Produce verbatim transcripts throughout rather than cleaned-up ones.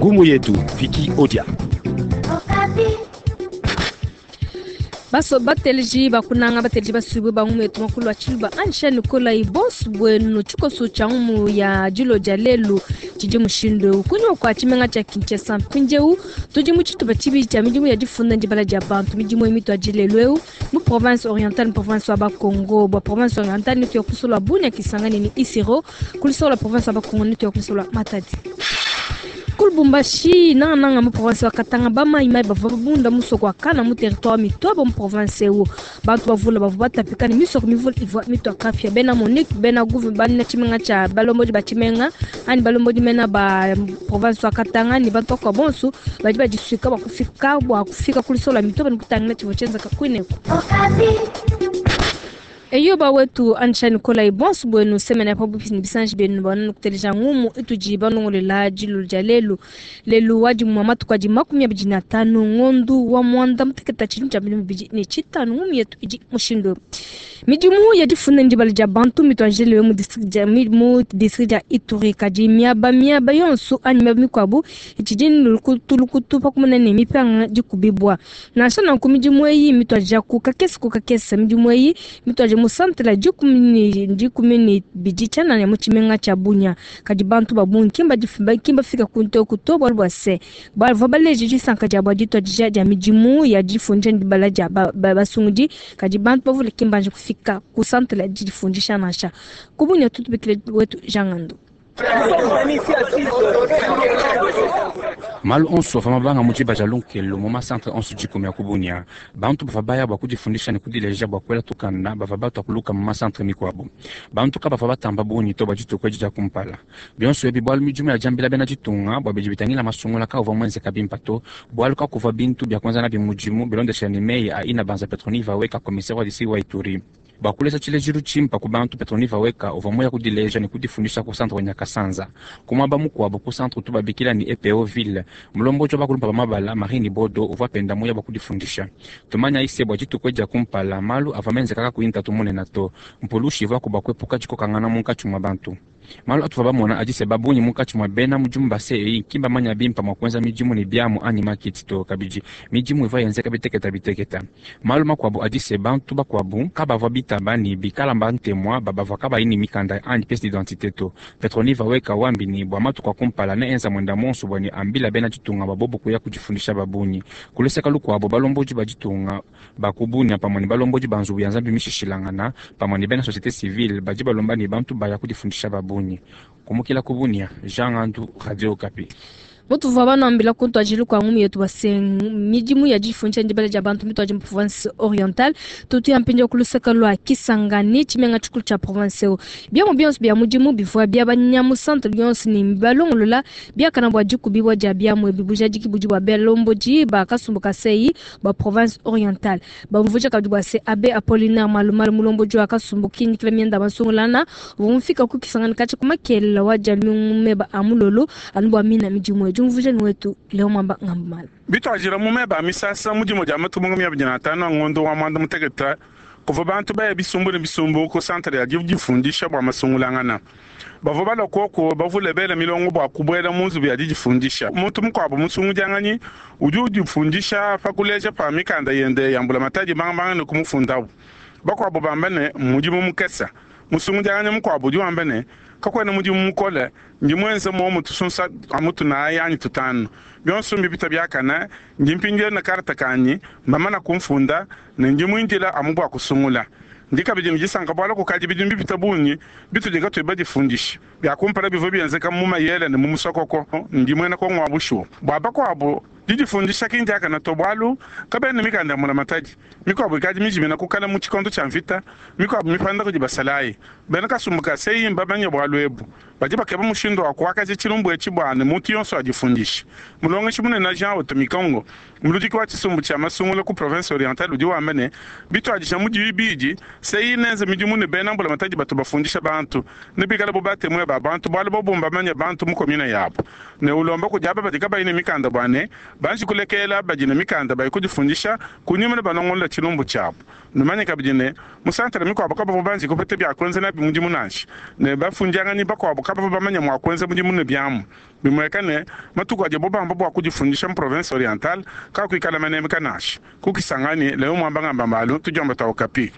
Ngumu yetu Vicky Odia. Baso bateleji bakunanga bateleji basuibwe bangumu yetu makulu wa tshiluba ansha Nikolai bonsu bwenu tshikoso tshia ngumu ya dilo dia lelu tshidi mushindu eu kunyima kua tshimenga tshia Kinshasa mpindieu tudi mu tshitupa tshibidi tshia midimu ya difunda ndibala dia bantu midimu eyi mitua dilelu eu mu province orientale mu province wa Bakongo bua province orientale netu ya kusola Bunia Kisangani ni Isiro kulisola province wa Bakongo netu ya kusola Matadi ku Lubumbashi nangananga mu province wa Katanga bamaimai bavua babunda musoko wa Kana mu territoire mitobo mu province eu bantu bavula bavua batapika ne misoko mivula ivua mitua kapia bena Monique bena Gouve bana tshimenga tshia balombodi ba tshimenga ani balombodi mena ba province wa Katanga ni bantu bakua bonso badi badisuika bua kufika bua kufika kulisola mitobo ni kutangila tshivua tshienzeka kuineku. Eyo bawetu ansha Nikolai bonso bwenu semene pa bupi ni bisanji benu banu kuteleja ngumu itudi banongolela dilu dia lelu lelu wadi mwa matuku adi makumi abidi na tano ngondu wa mwanda muteketa tshintu tshia bintu bibidi ne tshitanu ngumu yetu idi mushindu midimu ya difunda ndibala dia bantu mituanjelewe mu district dia mu district dia Ituri kadi miaba miaba yonso anyi miaba mikuabu itshidi lukutu lukutu pakumana ne mipanga dikubibwa nansha nanku midimu eyi mituadija ku kakese ku kakese midimu eyi mituadija mu centre la dikumi dikumi ne bidi tshianana mu tshimenga tshia Bunia kadi bantu ba bungi kimba difumba kimba fika kunte kuto bualu bua se bavua baleje disanka dia bua dituadija dia midimu ya difundisha ndibala dia basungudi kadi bantu bavule kimbanje kufika ku centre la difundisha nansha ku Bunia tutubikile wetu Jangando. Malu onso ava mabanga mu tshiba tshia lunkelo mu masantre onso dikumi ya ku Bunia bantu bava baya bua kudifundisha ne kudileja bua kuela tukanda bava batua kuluka mu masantre mikuabu bantu ka bava batamba bungi to bua dituku edi dia kumpala bionso ebi bualu midimu ya diambila bena ditunga bua bidi bitangila masungula kauvua muenzeka bimpa to bualu kakuvua bintu bia kuenza nabi mudimu bilondeshela ne meyi a ina banza Petroni Vaweka commissaire wa district wa Ituri bua kulesa tshilejilu tshimpa ku bantu Petroni Vaweka uvua muya kudileja ne kudifundisha ku centre wa Nyakasanza ku muaba mukuabu ku centre tubabikila ni E P O ville mulombodi wa bakulumpa ba mabala Marini Bodo uvua penda muya bua kudifundisha tumanya ise bua dituku edi dia kumpala malu avua menzeka kakuyi ntatu munene to mpulushi ivua kuba kuepuka dikokangana munkatshi mua bantu malu atuvua bamona adi se babungi munkatshi mua bena mudimu ba C E I ki mbamanya bimpa mua kuenza midimu ne biamu anyi makiti to kabidi midimu ivua yenzeka biteketa biteketa malu makuabu adi se bantu bakuabu kabavua bitaba ne bikala bantemwa babavua kabayi ne mikanda anyi pièce d'identité to Petroni Vaweka wambi ne bua matuku a kumpala ne enza mwenda monso bua ne ambila bena ditunga babobo kuya kudifundisha babungi kuleseka lukuabu balombodi ba ditunga ba ku Bunia pamue ne balombodi ba nzubu ya Nzambi mishishilangana pamue ne bena société civile badi balomba ne bantu baya kudifundisha babungi kumukila ku Bunia Jean Ngandu Radio Okapi. Mutuvua banambila kuntu kwa ngumu yetu base midimu ya difundisha ndibala dia bantu mituaji mu province orientale tutu ya mpindia kuluseka lwa Kisangani tshimenga tshikulu tshia province eu biamu bionso bia mudimu bivua bia banyamu centre bionso ni balongolola biakana bua dikubibwa dia biamu ebi bujadiki budi bua belombodi ba kasumbu kasei ba province orientale bamvuja kabidi bua se abe Apollinaire Malumalu mulombodi wa kasumbu kinyikila mienda basungulana vumfika ku Kisangani katshi kumakelela wa dia meba amulolo anu bua mina midimu edu mvuje wetu leo mwamba ngambala bitwajira mu meba misasa mudimu dia matumungu mia bidina tano ngondo wa mwanda muteketa kuva bantu baya bisumbu ne bisumbu ku centre ya difundisha bua masungulangana bavua balokoko bavule bela milongo bua kubwela mu nzubu ya didifundisha muntu mukuabu musungudianganyi udi udifundisha pa kuleja pa mikanda yende ya mbulamatadi bangabanga ne kumufundabu bakuabu bamba ne mudimu mukesa musungudianganyi mukuabu udi wamba ne kakwena mudimu mukole ndi mwenze momu tusunsa amutu naye anyi tutanu bionso mbipita byakana ndi mpindieu na karta kanyi mbamana kumfunda ne ndi muindila amu bua kusungula ndi kabidi ndisanka bualu kukadi bidi mbipita bungi bitudi katuyi badifundisha byakumpala bivua bienzeka mu mayele ne mu musokoko ndi muena kongo wa bushuwa bua bakuabu didifundisha kindiakana to bualu kabena mikanda ya mbulamatadi mikuabu ikadi mijimina kukala mu tshikondo tshia mvita mikuabu mipanda kudi basalayi bena kasumbu ka seyi mbamanye bualu ebu badi bakeba mushindu wa kuakaja tshilumbu etshi bua ne muntu yonso adifundishe mulongeshi munene Jean Oto Mikongo muludiki wa tshisumbu tshia masungula ku province orientale udi wamba ne bituadija mu dibidi seyi nenze midimu ne bena mbulamatadi batu bafundisha bantu ne bikala bo batemwe ba bantu bualu bo mbamanye bantu mu komine yabo ne ulomba kudi aba badi kabayi ne mikanda bua ne Banji kulekela badi ne mikanda baye kudifundisha kunyima ne balongolola tshilumbu tshiabu. Numanye kabidi ne mu santere mikuabu kabavua banji kupeta bia kuenza nabi mudimu nansha ne bafundianganyi bakuabu kabavua bamanye mua kuenza mudimu ne biamu. Bimueka ne matuku adi bobamba bua kudifundisha mu province orientale kakuikala manemeka nansha. Ku Kisangani leo mwamba ngamba mbalu tudiomba twa Okapi.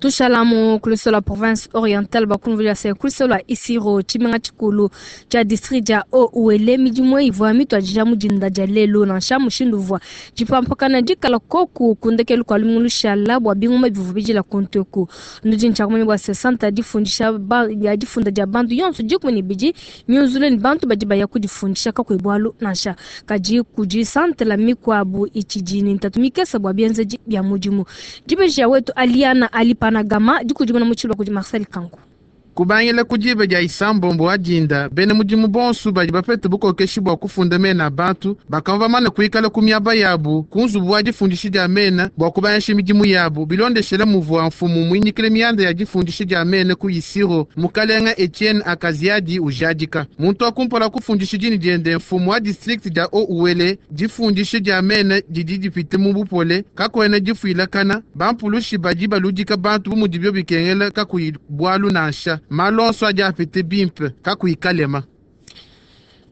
Tushalamu kuliso la province orientale bakumvuja se kuliso la Isiro tshimenga tshikulu tshia district dia Haut-Uele midimu ivua mituadija mu dinda dia lelu nansha mushindu uvua dipampakana dikala koku kundekelu kua lumingu lushala bua bingoma bivua bidila kuntu nudi ntshiakumanya bua se santa difundisha ya difunda dia bantu yonso dikumi ne bidi miunzule ne bantu badi baya kudifundisha kakuyi bualu nansha kadi kudi santa la mikuabu itshidi ne ntatu mikese bua bienzedi bia mudimu. Dibeji wetu Aliana Alipana Gama dikudimuna mu tshilwa kudi Marcel Kanku. Kubangila kudiba dia isambombo wa dinda bena mudimu bonso badi bapete bukokeshi bua kufunda mena bantu bakava bamane kuikala ku miaba yabu ku nzubu wa difundisha dia mena bua kubanyisha midimu yabu bilondeshele muvua mfumu muinyikile mianda ya difundisha dia mena ku Isiro mukalenga Etienne Akaziadi ujadika muntu wa kumpala kufundisha dini diende mfumu wa district dia Haut-Uele difundisha dia mena didi dipite mu bupole kakwena difuilakana bampulushi badi baludika bantu bu mudibio bikengela kakuyi bualu nansha malonso adi apite bimpe kakuikalema.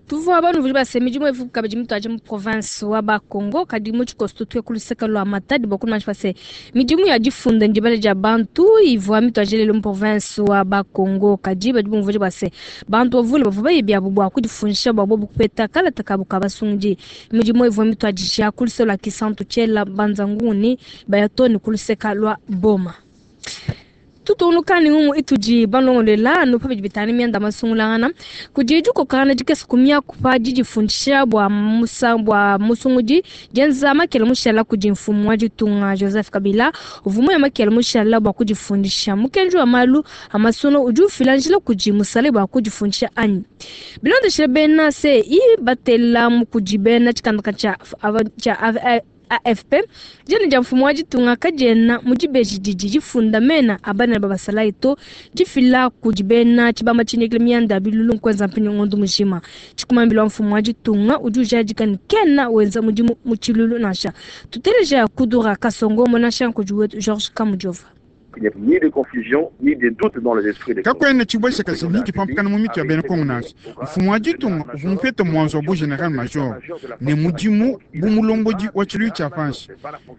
Tuvua banu vuli base midimu evu kabidi mituaje mu province wa Bakongo kadi mu tshikoso tutue kuluseka lwa Matadi bua kumanya base midimu ya difunda ndibale dia bantu ivua mituaje lelo mu province wa Bakongo kadi badi bumvuje base bantu bavule bavua baye biabu bua kudifundisha bua bobu kupeta kalata kabu ka basungi midimu ivua mituadija kuluseka lwa Kisantu Tshela Banzanguni bayatoni kuluseka lwa Boma. Tutunukani ngumu itudi balongolela no pa bidi bitani mianda masungulangana kudi dikokana dikese kumia kupa didifundisha bua musa bua musungudi dienza makele mushala kudi mfumu wa ditunga Joseph Kabila uvumu ya makele mushala bua kudifundisha mukenji wa malu amasono udi ufila njila kudi musale bua kudifundisha anyi bilondeshele bena se i batela mukudi bena tshikandaka tshia tshia A F P jene dia mfumu wa ditunga kadiena mu dibeji didi difunda mena abana ba basalayi to difila kudi bena tshibamba tshinyikile mianda bilulu nkwenza mpinyo ngondo mujima tshikumambila wa mfumu wa ditunga udi ujadika ne kena wenza mudimu mu tshilulu nansha tuteleja kudura kasongo monasha nkudi wetu Georges Kamujova. Il n'y a ni de confusion, ni de doute dans les esprits des Kakwena chibwesha kasi ni kipampakana mu mitu ya bena Kongo nansha. Mfumu wa ditunga uvua mupete mwanzo wa bu general major ne mudimu bu mulombodi wa tshiluilu tshia panshi.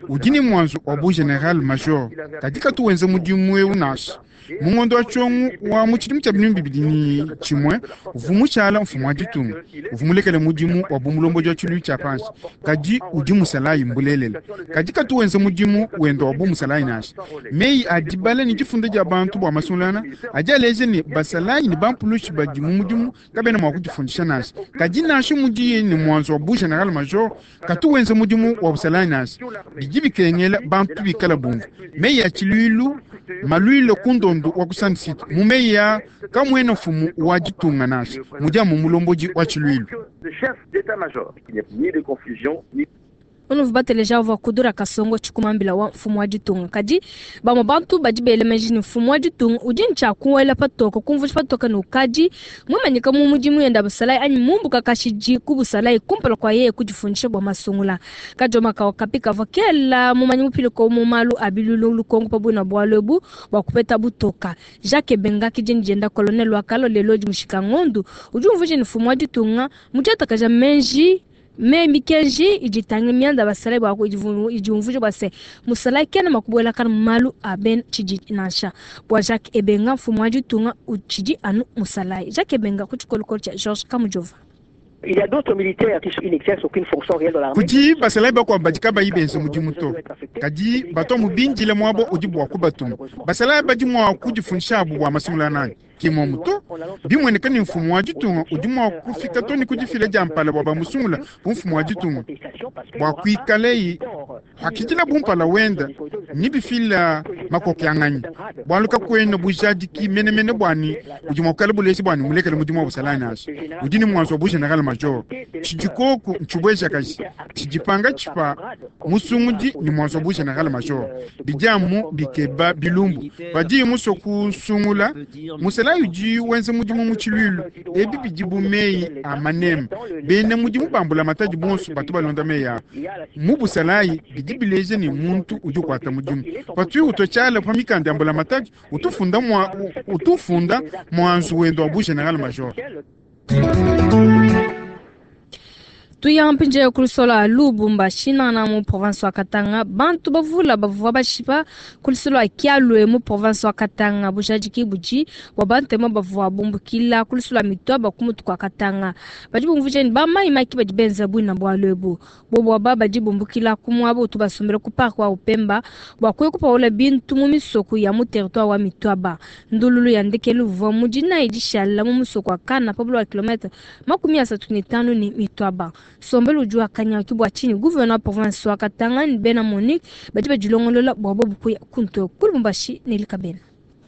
Udi ne mwanzo wa bu general major kadi katu wenza mudimu eu nansha. Mungondo wa tshiongo wa mu tshidimu tshia binunu bibidi ne tshimue uvua mushala mfumu wa ditunga uvua mulekele mudimu wa bu mulombodi wa tshiluilu tshia panshi kadi udi musalayi mbulelela kadi katu wenza mudimu wenda wa bu musalayi nansha. Meyi a dibala ne difunda dia bantu bua masungulana adi aleja ne basalayi ne bampulushi badi mu mudimu kabena mua kudifundisha nansha kadi nansha mudiye ne mwanzo wa bu general major katu wenza mudimu wa busalayi nansha bidi bikengela bantu bikala bumvu meyi a tshiluilu maluile ku ndondo wa kusanisita mu meyi ya kamwena mfumu wa ditunga nansha mudi amu mulombodi wa tshiluilu. Unuvu bateleja uvua kudura kasongo tshikumambila wa mfumu wa ditunga kadi bamwe bantu badi belemeji ni mfumu wa ditunga udi ntshia kuwela patoka kumvusha patoka ne ukadi mumanyika mu mudimu yenda busalayi anyi mumbuka kashidi ku busalayi kumpala kwa yeye kudifundisha bua masungula kajoma kawa kapika kavua kela mumanyi mupiliko mu malu a bilulu lukongo pa buna bualu ebu bua kupeta butoka Jacques Benga kidini dienda colonel wa kalo lelo di mushika ngondu udi umvusha ni mfumu wa ditunga mudiatakaja menji me mikenji iditanga mianda basalayi bwa idiumvuje bwa se musalayi kena makubuela kana malu aben tshidi nansha bwa Jacques Ebenga mfumu wa ditunga utshidi anu musalayi Jacques Ebenga ku tshikolokolo tshia Georges Kamujova. Il y a d'autres militaires qui n'exercent aucune fonction réelle dans l'armée. Kudi basalayi bakuabu badi kabayi benza mudimu to kadi bato mubindile muabo udi bua kubatuma basalayi badi mua kudifundisha abu bua masungula nanyi kimwe muto bimueneka ni mfumu wa ditunga udi mua kufika to ni kudifila dia mpala bua bamusungula bu mfumu wa ditunga bua kuikaleyi hakidila bumpala wenda ni bifila makokianganyi bualu kakuena bujadiki menemene buani udi mua kukala bulezi buani mulekele mudimu wa busalayi nansha udi ni mwanzo wa bu general major tshidikoku ntshibwejakaji tshidipanga tshipa musungudi ni mwanzo wa bu general major bidiamu bikeba bilumbu badi muso kusungula musalayi udi wenza kuenza mudimu mu tshiluilu. Ebi bidi bu meyi a maneme. Bena mudimu ba mbulamatadi bonso batu balonda meyi aa. Mu busalayi bidi bileja ne muntu udi ukuata mudimu. Patuyi utua tshiala pa mikanda ya mbulamatadi, utufunda mwa utufunda muanzu wende wa bu general major. Tuya mpindieu ku lusolo Lubumbashi nana mu province wa Katanga bantu bavula bavua bashipa ku lusolo Kialwe mu province wa Katanga bujadiki budi bua bantema bavua bumbukila ku lusolo Mitwaba ku mutu kwa Katanga badi bumvuija ne bamaimaki badi benza bwina bwalu ebu bobo aba badi bumbukila ku muaba utu basombela ku park wa Upemba bua kuya kupaula bintu mu misoko ya mu territoire wa Mitwaba. Ndululu ya ndekelu uvua mu dinayi dishala mu musoko wa Kana pa buloba kilometre makumi asatu ne tanu ne Mitwaba. Sombelu udi wakanyaki bua tshinyi gouverneur wa province wa Katanga ne bena Monique badi badilongolola bua bobu kuya kuntu ku Lubumbashi ne Likabena.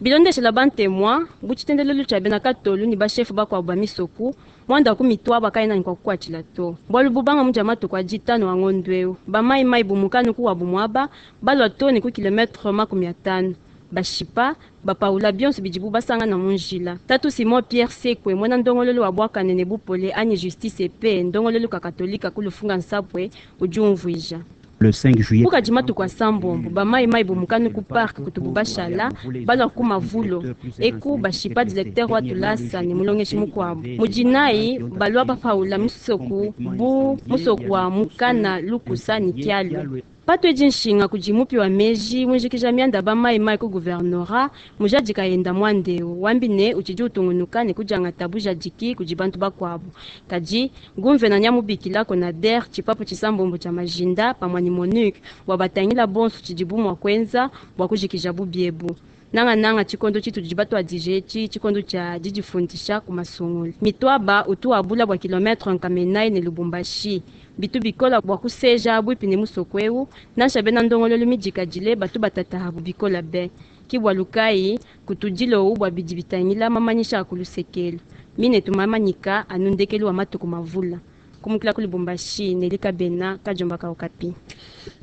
Bilondeshela bantemwa buchitendelelo cha bena katolu ni bashefu bakwabo ba misoku mwanda ku mitwaba kaina ni kwakukwatshila to bwalu bubanga muja matuku a ditano wa ngondo eu bamaimai bumukanu ku wabu mwaba balwa to ni ku kilometre makumi atano bashipa bapaula bionso bidibu basangana mu njila. Tatu Simon Pierre Sekwe mwana ndongololo wa bwakane ne bupole anyi justice epe ndongololo ka katolika ku lufunga nsapwe udi umvuija. Le cinq juillet kukadi matuku a sambombo bamaimai bumukanu ku park kutubu bashala balwa ku mavulo eku bashipa directeur wa tulasa ne mulongeshi mukuabu mudinayi balwa bapaula musoku bu musoku wa mukana lukusa ni kialu. Patwe nshinga kudi mupi wa meji munjikija mianda bamaimai ku guvernora mujadika yenda mwandeo wambi ne utshidi utungunuka ne kujangata bujadiki kudi bantu bakuabu kadi gumvena nyamubikila konader tshipapu tshisambombo tshia majinda pamue ne Monique bua batangila bonso tshidi bumua kuenza bua kujikija bubiebu nanga nanga tshikondo tshitudi batuadije etshi tshikondo tshia didifundisha ku masungulu mitwaba utu abula bua kilometre nkamenai ne Lubumbashi bitu bikola bua kuseja bwipi ne musoko eu nansha bena ndongololo midikadile batu batata bikola be kibwa lukai kutudilo bua bidi bitangila mamanyisha akulusekelo mine tumamanyika anundekelu wa matuku mavula kumukila ku Lubumbashi ne Likabena kajomba ka Okapi.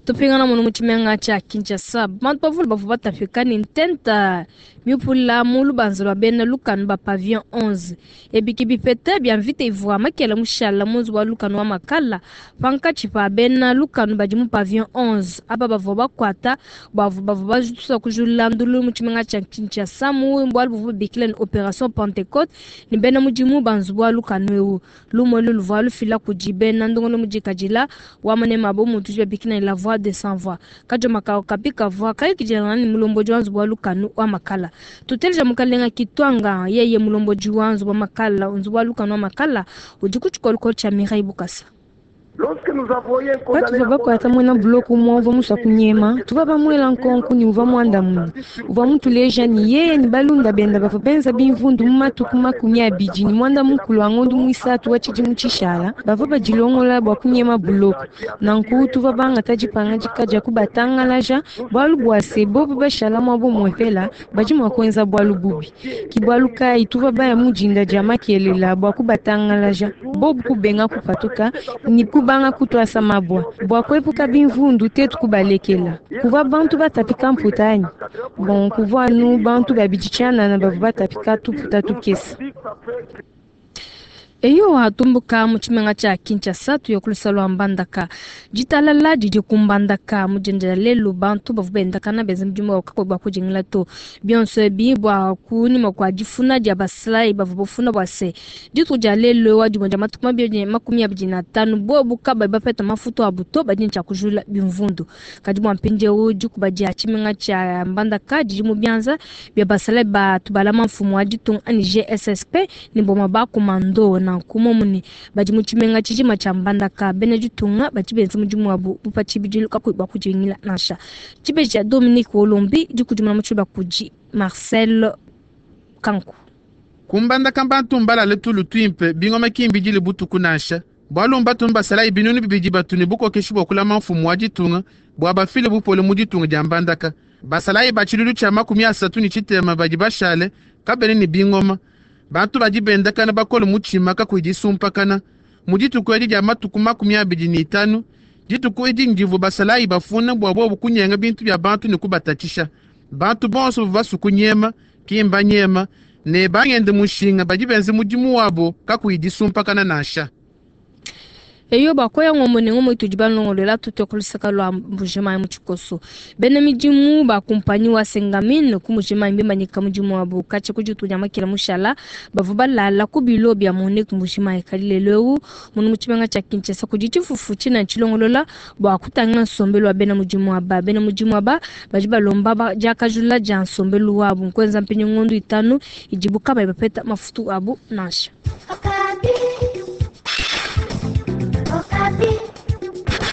Tupingana muno mu tshimenga tshia Kinshasa bantu bavule bavua batapika ne ntenta miupula mu lubanza lua bena lukanu ba pavillon onze ebiki bipete bia mvita ivua makela mushala mu nzubu wa lukanu wa makala pankatshi pa bena lukanu badi mu pavillon onze aba bavua bakuata bavua bavua bajutusa kujula ndulu mu tshimenga tshia Kinshasa mu bualu buvua babikila ne opération Pentecôte ne bena mudimu ba nzubu wa lukanu eu lumue luvua lufila kudi bena ndongolo mudikadila wa manema abo muntu udi babikila ne la voix de sans voix kajoma ka Okapi kavua kayukidilangana ne mulombodi wa nzubu wa lukanu wa makala tuteleja mukalenga kitwanga yeye mulombodi wa nzubu wa makala nzubu wa lukanu wa makala udi ku tshikolokolo tshia Mireille Bukasa. Patuva bakwata mwena buloku umwe uvua musua kunyema tuva bamuela nkonku ni uvua muandamuna uvua mutuleja ni yeye ni balunda benda bavua benza bimvundu mu matuku makumi abidi ni mwanda mukulu wa ngondu muisatu wa tshidimu tshishala bavua badilongola bua kunyema buloku nanku tuva bangata dipangadika dia kubatangalaja bualu bua se bobu bashala muabo muepela badi mua kuenza bualu bubi kibualu kayi tuva baya mudinda dia makelela bua kubatangalaja bobu kubenga kupatuka ni kubanga kutwasa mabwa bua kuepuka bimvundu tetu kubalekela kuvua bantu batapika mputa anyi bon kuvua anu bantu babidi tshianana bavua batapika tuputa tukese. Eyo atumbuka mu tshimenga tshia Kinshasa tuya ku lusalo lwa Mbandaka ditalala didi ku Mbandaka mudindila lelu bantu bavua bendakana benza mudimu wa bua kudingila to bionso ebi bua kunyima kua difuna dia basalayi bavua bafuna bua se dituku dia lelu wa dimue dia matuku mabidi makumi abidi na atanu bobu kabayi bapeta mafutu abu to badi ne tshia kujula bimvundu kadi bua mpindieu dikuba dia tshimenga tshia Mbandaka didi mu bianza bia basalayi batu balama mfumu wa ditunga anyi G S S P ne boma ba komando na nkumomune badi mu tshimenga tshijima tshia Mbandaka bena ditunga badi benza mudimu wabu bupa tshibidilu kakuyi bua kudingila nansha tshibeji tshia Dominique Wolombi dikudimuna mu tshiluba kudi Marcel Kanku. Kumbandaka bantu mbalale tulu tuimpe bingoma kimbidile butuku nansha bualu mbatu mbasalayi binunu bibidi batu ne bukokeshi bua kulama mfumu wa ditunga bua bafile bupole mu ditunga dia Mbandaka basalayi ba tshilulu tshia makumi asatu ne tshitema badi bashale kabene ne bingoma bantu badi bendakana bakole mutshima kakuyi disumpakana mu dituku edi dia matuku makumi abidi ne itanu dituku edi ndivua basalayi bafuna bua bobu kunyenga bintu bia bantu ne kubatatshisha bantu bonso bavua basu kunyema kimba nyema Ne bangenda mushinga badi benza mudimu wabo kakuyi disumpakana nansha. Eyo bakoya ngombe ne ngombe itudi balongolola tutue ku luseke lua Mbujimayi mu tshikoso. Bena midimu ba kumpanyi wa Sengamine ku Mbujimayi mbimanyika mudimu wabu katshia ku dituku dia makela mushala bavua balala ku bilo bia Monique Mbujimayi. Kadi lelu eu munu mu tshimenga tshia Kinshasa kudi tshifufu tshina tshilongolola bua kutangila nsombelu wa bena mudimu aba. Bena mudimu aba badi balomba diakajula dia nsombelu wabu nkuenza mpinyi ngondu itanu idibu kabayi bapeta mafutu abu nansha. Okapi.